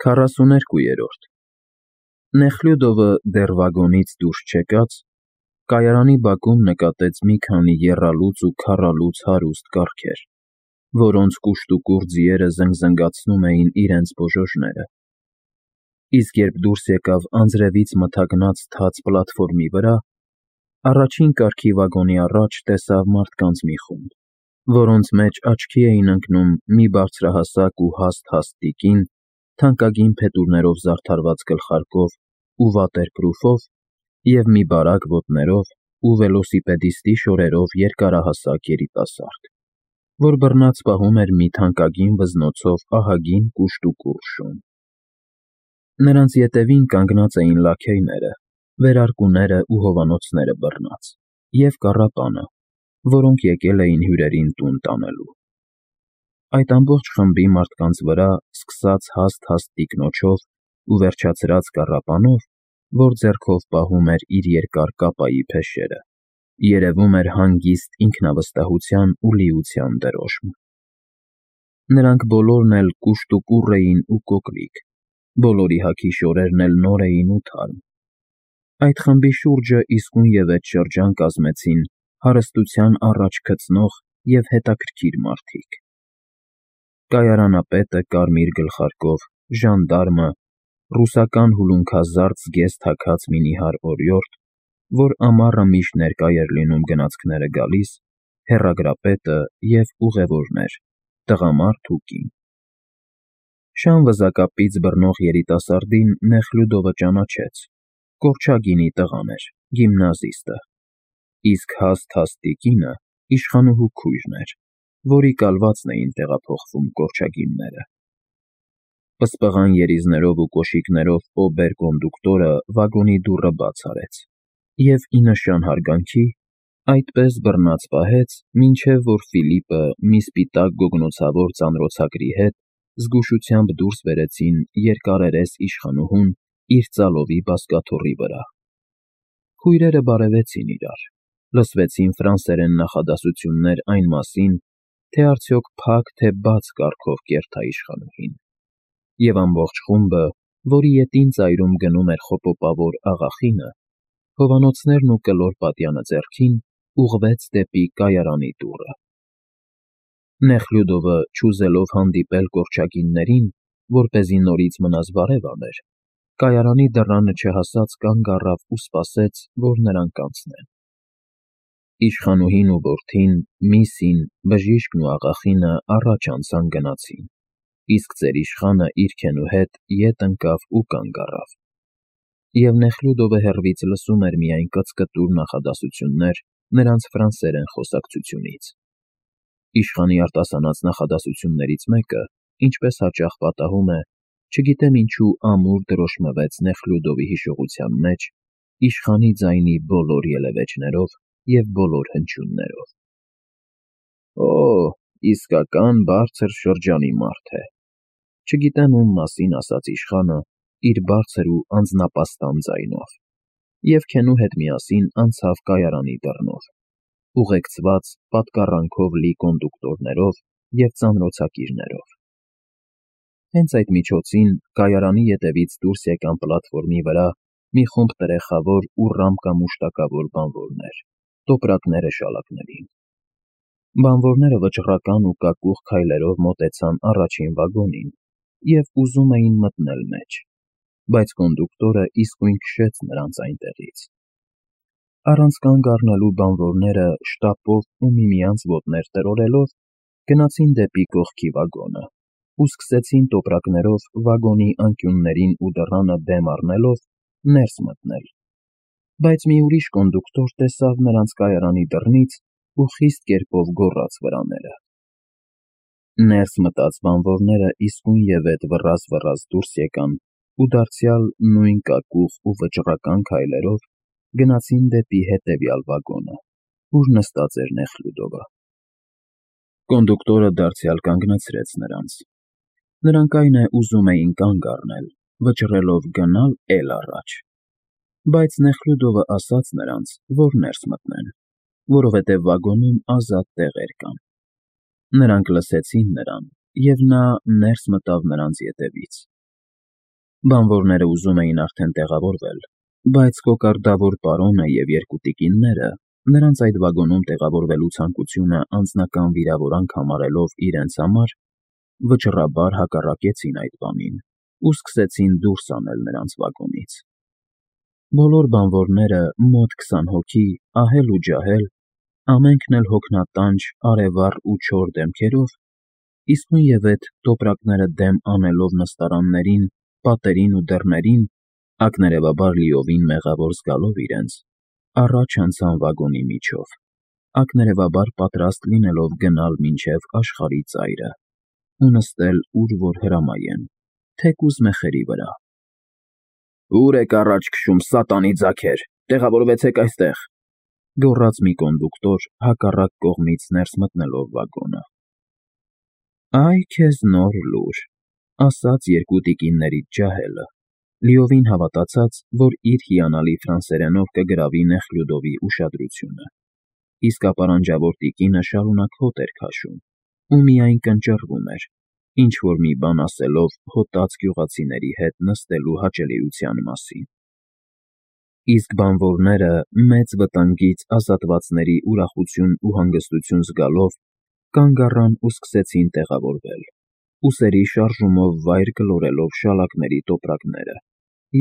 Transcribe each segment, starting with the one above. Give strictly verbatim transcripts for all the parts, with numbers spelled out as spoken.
քառասուներկուերորդ Նեխլյուդովը դեռ վագոնից դուրս չեկած, կայարանի բակում նկատեց մի քանի եռալուծ ու քառալուծ հարուստ կառքեր, որոնց կուշտուկուռ ձիերը զնգզնգացնում էին իրենց բոժոժները, իսկ երբ դուրս եկավ անձրևից մթագնած թաց պլատֆորմի վրա, առաջին կարգի վագոնի առաջ տեսավ մարդկանց մի խումբ, որոնց մեջ աչքի էին ընկնում մի բարձրահասակ ու հաստ-հաստ տիկին, թանկագին փետուրներով զարդարված գլխարկով ու վատերպրուֆով և մի բարակ ոտներով ու վելոսիպեդիստի շորերով երկարահասակ երիտասարդ, որ բռնած պահում էր մի թանկագին վզնոցով ահագին կուշտուկուռ շուն։ Նրանց ետևին կանգնած էին լաքեյները, վերարկուները ու հովանոցները բռնած, և կառապանը, որոնք եկել էին հյուրերին տուն տանելու։ Այդ ամբողջ խմբի մարդկանց վրա, սկսած հաստ-հաստ տիկնոջով ու վերջացրած կառապանով, որ ձեռքով պահում էր իր երկար կապայի փեշերը, երևում էր հանգիստ ինքնավստահության ու լիության դրոշմ։ Նրանք բոլորն էլ կուշտուկուռ էին ու կոկլիկ, բոլորի հագի շորերն էլ նոր էին ու թարմ։ Այդ խմբի շուրջը իսկույնևեթ շրջան կազմեցին հարստության առաջ գծնող և հետաքրքիր մարդիկ. կայարանապետը կարմիր գլխարկով, ժանդարմը, ռուսական հուլունքազարդ զգեստ հագած մի նիհար օրիորդ, որ ամառը միշտ ներկա էր լինում գնացքները գալիս, հեռագրապետը և ուղևորներ, տղամարդ ու կին։ Շան վզակապից բռնող երիտասարդին Նեխլյուդովը ճանաչեց, կորչագինի տղան էր, գիմնազիստը, իսկ հաստ-հաստ տիկինը իշխանուհու քույրն էր, որի կալվածն էին տեղափոխվում կորչագինները։ Պսպղան երիզներով ու կոշիկներով օբեր֊կոնդուկտորը վագոնի դուռը բաց արեց և ի նշան հարգանքի այդպես բռնած պահեց, մինչև որ Ֆիլիպը մի սպիտակ գոգնոցավոր ծանրոցագրի հետ զգուշությամբ դուրս բերեցին երկարերես իշխանուհուն իր ծալովի բազկաթոռի վրա։ Քույրերը բարևեցին իրար, լսվեցին ֆրանսերեն նախադասություններ այն մասին, թե արդյոք փակ, թե բաց կառքով կերթա իշխանուհին, և ամբողջ խումբը, որի ետին ծայրում գնում էր խոպոպավոր աղախինը, հովանոցներն ու կլոր պատյանը ձեռքին, ուղղվեց դեպի կայարանի դուռը։ Նեխլյուդովը, չուզելով հանդիպել կորչագիններին, որպեսզի նորից մնաս բարև աներ, կայարանի դռանը չհասած կանգ առավ ու սպասեց, որ նրանք անցնեն։ Իշխանուհին ու որդին, Միսին, բժիշկն ու աղախինը առաջ անցան գնացին, իսկ ծեր իշխանը իր քենու հետ ետ ընկավ ու կանգ առավ, և Նեխլյուդովը հեռվից լսում էր միայն կծկտուր նախադասություններ նրանց ֆրանսերեն խոսակցությունից։ Իշխանի արտասանած նախադասություններից մեկը, ինչպես հաճախ պատահում է, չգիտեմ ինչու ամուր դրոշմվեց Նեխլյուդովի հիշողության մեջ իշխանի ձայնի բոլոր ելևէջներով և բոլոր հնչյուններով։ Օ, իսկական բարձր շրջանի մարդ է, չգիտեմ ում մասին ասաց իշխանը իր բարձր ու անձնապաստան ձայնով, և քենու հետ միասին անցավ կայարանի դռնով, ուղեկցված պատկառանքով լի կոնդուկտորներով և ծանրոցակիրներով։ Հենց այդ միջոցին կայարանի ետևից դուրս եկան պլատֆորմի վրա մի խումբ տրեխավոր ու ռամկամուշտակավոր բանվորներ, տոպրակները շալակներին։ Բանվորները վճռական ու կակուղ քայլերով մոտեցան առաջին վագոնին և ուզում էին մտնել մեջ, բայց կոնդուկտորը իսկույն քշեց նրանց այնտեղից։ Առանց կանգ առնելու բանվորները շտապով ու միմյանց ոտներ տրորելով գնացին դեպի կողքի վագոնը ու սկսեցին տոպրակներով վագոնի անկյուններին ու դռանը դեմ առնելով ներս մտնել, բայց մի ուրիշ կոնդուկտոր տեսավ նրանց կայարանի դռնից ու խիստ կերպով գոռաց վրաները։ Ներս մտած բանվորները իսկույնևեթ վռազ-վռազ դուրս եկան ու դարձյալ նույն կակուղ ու վճռական քայլերով գնացին դեպի հետևյալ վագոնը, ուր նստած էր Նեխլյուդովը։ Կոնդուկտորը դարձյալ կանգնացրեց նրանց։ Նրանք այն է ուզում էին կանգ առնել, վճռելով գնալ էլ առաջ, բայց Նեխլյուդովը ասաց նրանց, որ ներս մտնեն, որովհետև վագոնում ազատ տեղեր կան։ Նրանք լսեցին նրան, և նա ներս մտավ նրանց ետևից։ Բանվորները ուզում էին արդեն տեղավորվել, բայց կոկարդավոր պարոնը և երկու տիկինները, նրանց այդ վագոնում տեղավորվելու ցանկությունը անձնական վիրավորանք համարելով իրենց համար, վճռաբար հակառակեցին այդ բանին ու սկսեցին դուրս անել նրանց վագոնից։ Բոլոր բանվորները, մոտ քսան հոգի, ահել ու ջահել, ամենքն էլ հոգնատանջ, արևառ ու չոր դեմքերով, իսկույնևեթ տոպրակները դեմ անելով նստարաններին, պատերին ու դռներին, ակներևաբար լիովին մեղավոր զգալով իրենց, առաջ անցան վագոնի միջով, ակներևաբար պատրաստ լինելով գնալ մինչև աշխարհի ծայրը ու նստել ուր որ հրամայեն, թեկուզ մեխերի վրա։ «Ո՞ւր եք առաջ քշում, սատանի ձագեր, տեղավորվեցեք այստեղ», գոռաց մի կոնդուկտոր՝ հակառակ կողմից ներս մտնելով վագոնը։ «Այ քեզ նոր լուր», ասաց երկու տիկիններից ջահելը, լիովին հավատացած, որ իր հիանալի ֆրանսերենով կգրավի Նեխլյուդովի ուշադրությունը, իսկ ապարանջավոր տիկինը շարունակ հոտ էր քաշում ու միայն կնճռվում էր, ինչ֊որ մի բան ասելով հոտած գյուղացիների հետ նստելու հաճելիության մասին։ Իսկ բանվորները, մեծ վտանգից ազատվածների ուրախություն ու հանգստություն զգալով, կանգ առան ու սկսեցին տեղավորվել, ուսերի շարժումով վայր գլորելով շալակների տոպրակները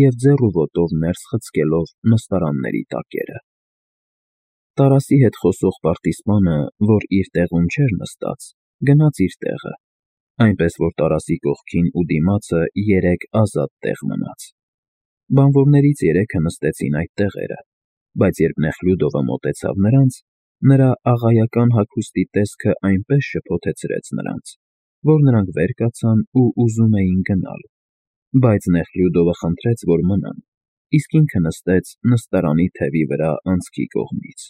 և ձեռ ու ոտով ներս խցկելով նստարանների տակերը։ Տարասի հետ խոսող պարտիսպանը, որ իր տեղում չէր նստած, գնաց իր տեղը, այնպես որ Տարասի կողքին ու դիմացը երեք ազատ տեղ մնաց։ Բանվորներից երեքը նստեցին այդ տեղերը, բայց երբ Նեխլյուդովը մոտեցավ նրանց, նրա աղայական հագուստի տեսքը այնպես շփոթեցրեց նրանց, որ նրանք վեր կացան ու ուզում էին գնալ, բայց Նեխլյուդովը խնդրեց, որ մնան, իսկ ինքը նստեց նստարանի թևի վրա անցքի կողմից։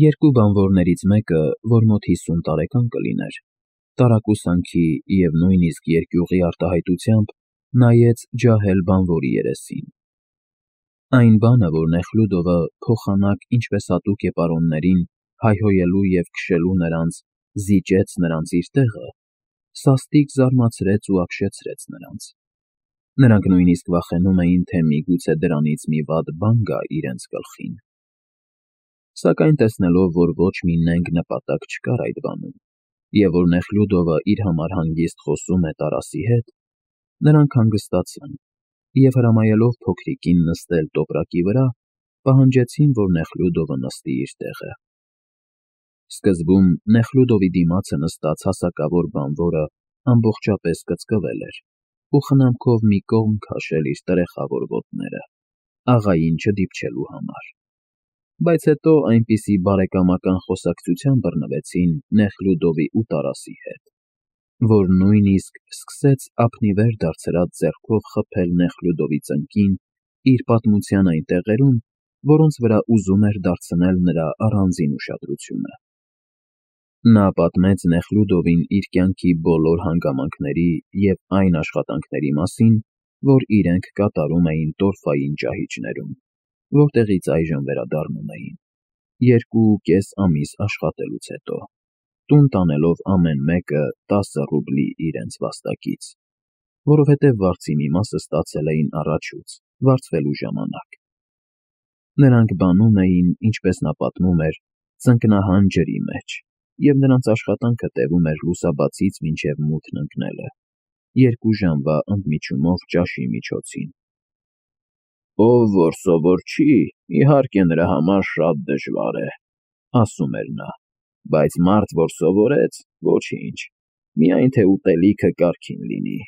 Երկու բանվորներից մեկը, որ մոտ հիսուն տարեկան կլիներ, տարակուսանքի և նույնիսկ երկյուղի արտահայտությամբ, նայեց ջահել բանվորի երեսին։ Այն բանը, որ Նեխլյուդովը փոխանակ, ինչպես հատուկ է պարոններին, հայհոյելու և քշելու նրանց, զիջեց նրանց իր տեղը, սաստիկ զարմացրեց ու ապշեցրեց նրանց։ Նրանք նույնիսկ վախենում էին, թե միգուցե դրանից մի վատ բան գա իրենց գլխին։ Սակայն տեսնելով, որ ոչ մի նենգ նպատակ չկար այդ բանում, և որ Նեխլյուդովը իր համար հանգիստ խոսում է Տարասի հետ, նրանք հանգստացան և, հրամայելով փոքրիկին նստել տոպրակի վրա, պահանջեցին, որ Նեխլյուդովը նստի իր տեղը։ Սկզբում Նեխլյուդովի դիմացը նստած հասակավոր բանվորը ամբողջապես կծկվել էր ու խնամքով մի կողմ քաշել իր տրեխավոր ոտները, աղային չդիպչելու համար, բայց հետո այնպիսի բարեկամական խոսակցության բռնվեցին Նեխլյուդովի ու Տարասի հետ, որ նույնիսկ սկսեց ափնիվեր դարձրած ձեռքով խփել Նեխլյուդովի ծնկին իր պատմության այն տեղերում, որոնց վրա ուզում էր դարձնել նրա առանձին ուշադրությունը։ Նա պատմեց Նեխլյուդովին իր կյանքի բոլոր հանգամանքների և այն աշխատանքների մասին, որ իրենք կատարում էին տորֆային ճահիճներում, որտեղից այժմ վերադառնում էին, երկու ու կես ամիս աշխատելուց հետո, տուն տանելով ամեն մեկը տասը ռուբլի իրենց վաստակից, որովհետև վարձի մի մասը ստացել էին առաջուց, վարձվելու ժամանակ։ Նրանք բանում էին, ինչպես նա պատմում էր, ծնկնահան ջրի մեջ, և նրանց աշխատանքը տևում էր լուսաբացից մինչև մութն ընկնելը, երկու ժամվա ընդմիջումով ճաշի միջոցին։ «Ով որ սովոր չի, իհարկե նրա համար շատ դժվար է», ասում էր նա, «բայց մարդ, որ սովորեց, ոչինչ, միայն թե ուտելիքը կարգին լինի։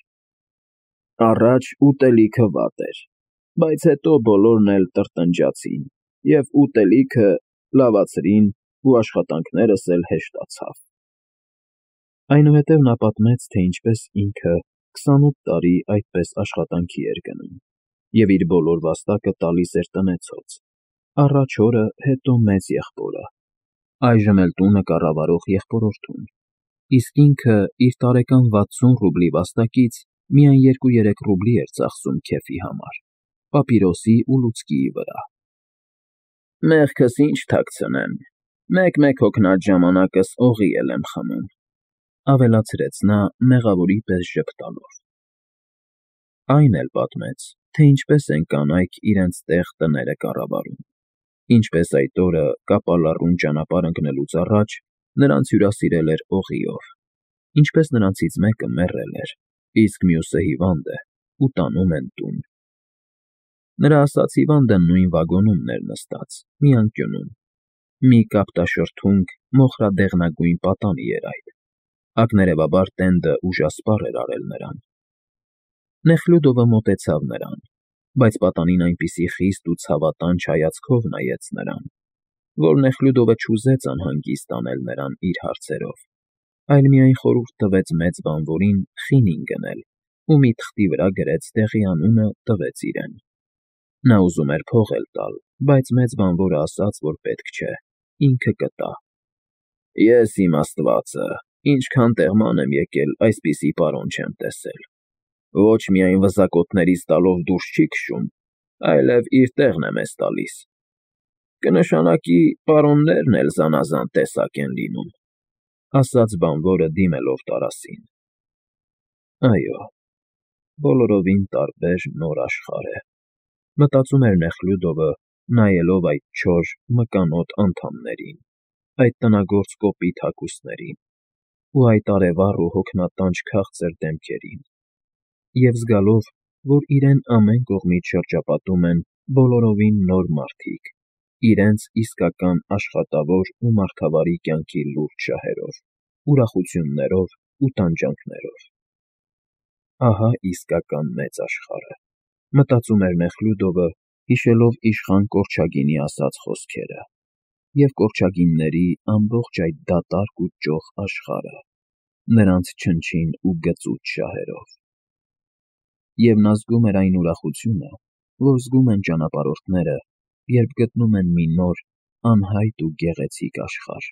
Առաջ ուտելիքը վատ էր, բայց հետո բոլորն էլ տրտնջացին, և ուտելիքը լավացրին ու աշխատանքներս էլ հեշտացավ»։ Այնուհետև նա պատմեց, թե ինչպես ինքը քսանութ տարի այդպես աշխատանքի էր գնում և իր բոլոր վաստակը տալիս էր տնեցոց, առաջ հորը, հետո մեծ եղբորը, այժմ էլ տունը կառավարող եղբորորդուն, իսկ ինքը իր տարեկան վաթսուն ռուբլի վաստակից միայն երկու֊երեք ռուբլի էր ծախսում քեֆի համար, պապիրոսի ու լուցկիի վրա։ «Մեղքս ինչ թաքցնեմ, մեկ֊մեկ հոգնած ժամանակս օղի էլ եմ խմում», ավելացրեց նա՝ մեղավորի պես ժպտալով։ Այն էլ պատմեց, թե ինչպես են կանայք իրենց տեղ տները կառավարում, ինչպես այդ օրը կապալառուն ճանապարհ ընկնելուց առաջ նրանց հյուրասիրել էր օղիով, ինչպես նրանցից մեկը մեռել էր, իսկ մյուսը հիվանդ է ու տանում են տուն։ Նրա ասած հիվանդը նույն վագոնումն էր նստած, մի անկյունում, մի կապտաշրթունք մոխրադեղնագույն պատանի էր այդ, ակներևաբար տենդը ուժասպառ էր արել նրան։ Նեխլյուդովը մոտեցավ նրան, բայց պատանին այնպիսի խիստ ու ցավատանջ հայացքով նայեց նրան, որ Նեխլյուդովը չուզեց անհանգիստ անել նրան իր հարցերով, այլ միայն խորհուրդ տվեց մեծ բանվորին խինին գնել ու մի թղթի վրա գրեց տեղի անունը տվեց իրեն։ Նա ուզում էր փող էլ տալ, բայց մեծ բանվորը ասաց, որ պետք չէ, ինքը կտա։ Ես իմ Աստվածը, ինչքան տեղման եմ եկել, այսպիսի պարոն չեմ տեսել։ Ոչ միայն վզակոտներից տալով դուրս չի քշում, այլև իր տեղն է մեզ տալիս։ Կնշանակի պարոններն էլ զանազան տեսակ են լինում, ասաց բանվորը դիմելով Տարասին։ Այո, բոլորովին տարբեր նոր աշխարհ է, մտածում էր Նեխլյուդովը, նայելով այդ չոր, մկանոտ անդամներին, այդ տնագործ կոպիտ հագուստներին ու այդ արևառ ու հոգնատանջ քաղցր դեմքերին, և զգալով, որ իրեն ամեն կողմից շրջապատում են բոլորովին նոր մարդիկ, իրենց իսկական աշխատավոր ու մարդավարի կյանքի լուրջ շահերով, ուրախություններով ու տանջանքներով։ Ահա իսկական մեծ աշխարհը, մտածում էր Նեխլյուդովը, հիշելով իշխան Կորչագինի ասած խոսքերը, և կորչագինների ամբողջ այդ դատարկ ու ճոխ աշխարհը, նրանց չնչին ու գծուծ շահերով։ Եվ նա զգում էր այն ուրախությունը, որ զգում են ճանապարհորդները, երբ գտնում են մի նոր, անհայտ ու գեղեցիկ աշխարհ։